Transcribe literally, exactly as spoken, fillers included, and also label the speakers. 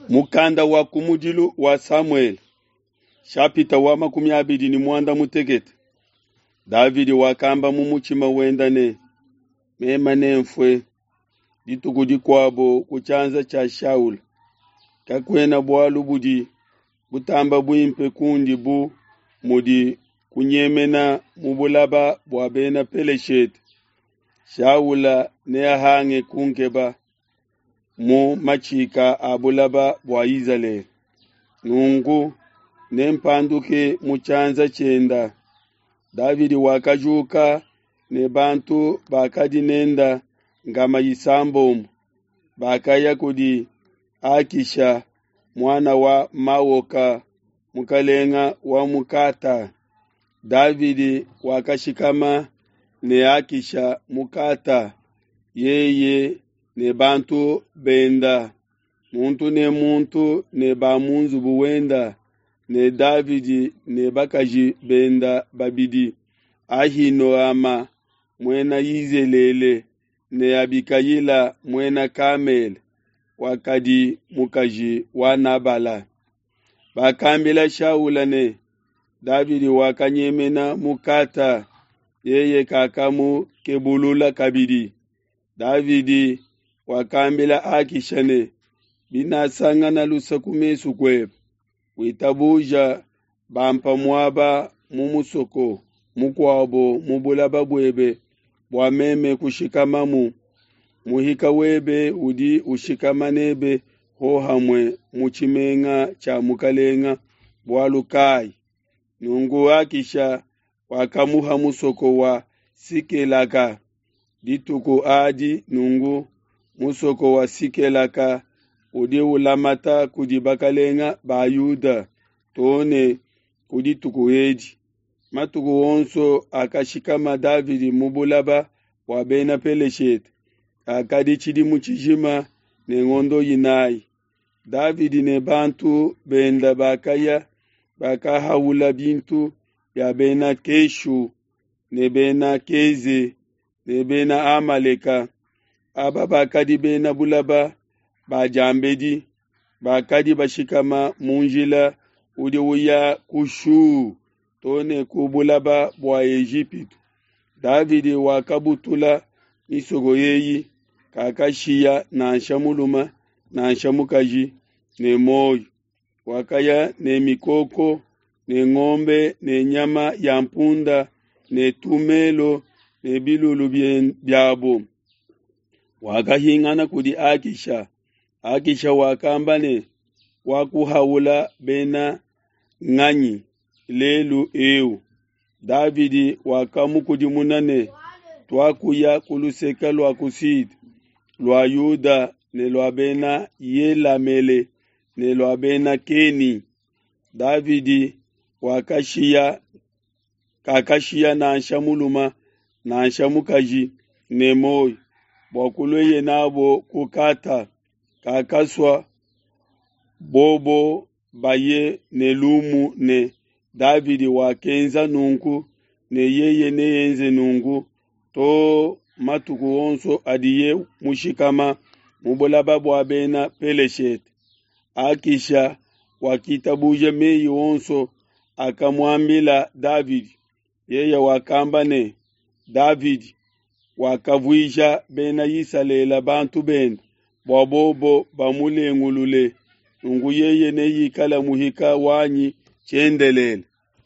Speaker 1: Mukanda wa kumudilu wa Samuele, shapita wa makumi abidi ne muanda mutekete. Davidi wakamba mu mutshima wenda ne, mema nenfue dituku dikuabo ku tshianza tshia Shaula. Kakuena bualu budi butamba buimpe kundi bu mudi kunyemena mu bulaba bua bena Peleshete. Shaula neahange kunkeba mu matshika a bulaba bua Izalele. Nunku nempanduke mu tshianza tshienda. Davidi wakajuka ne bantu bakadi nenda ngama isambombo bakaya kudi Akisha muana wa Maoka mukalenga wa mukata. Davidi wakashikama ne Akisha mukata yeye ne bantu benda muntu ne muntu ne ba mu nzubu wenda ne Davidi ne bakaji benda babidi Ahinoama muena Yizelele ne Abikayila muena Kamele wakadi mukaji wa Nabala. Bakambila Shaula ne Davidi wakanyemena mu Gata, yeye kakamukebulula kabidi. Davidi wakambila Akisha ne, binasangana luse ku mesu kuebe, witabuja bampa muaba mu musoko mukuabo mu bulaba buebe bua meme kushikamamu. Muhika webe udi ushikama nebe hohamue mu tshimenga tshia mukalenga bualu kai? Nunku Akisha wakamuha musoko wa Sikelaka dituku adi. Nunku musoko wa Sikelaka udi ulamata kudi bakalenga ba Yuda too ne ku dituku edi. Matuku onso akashikama Davidi mu bulaba bua bena Peleshete akadi tshidimu tshijima ne ngondo inayi. Davidi ne bantu benda bakaya bakahaula bintu bia bena Keshu ne bena Keze ne bena Amaleka. Aba bakadi bena bulaba ba diambedi, bakadi bashikama mu njila udi uya ku Shu too ne ku bulaba bua Ejipitu. Davidi wakabutula misoko eyi, kakashiya nansha mulume nansha mukaji ne muoyo. Wakaya ne mikoko ne ngombe ne nyama ya mpunda ne tumelo ne bilulu biabo. Wakahingana kudi Akisha. Akisha wakamba ne, wakuhaula bena nganyi lelu eu? Davidi wakamukudimuna ne, tuakuya ku luseke lua ku Sud lua Yuda ne lua bena Yelamele ne lua bena Keni. Davidi wakashiya kakashiya nansha mulume nansha mukaji ne muoyo bua kulueye nabo ku Gata. Kakasua bobo baye ne lumu ne Davidi wakenza nunku ne yeye neenze nunku to matuku onso adiye mushikama mu bulaba bua bena Peleshete. Akisha wakitabuja meyi onso akamuambila Davidi. Yeye wakamba ne, Davidi wakavuija bena Isalele bantu bende bua bobo bamulengulule, nunku yeye neikale muhika wanyi tshiendelele.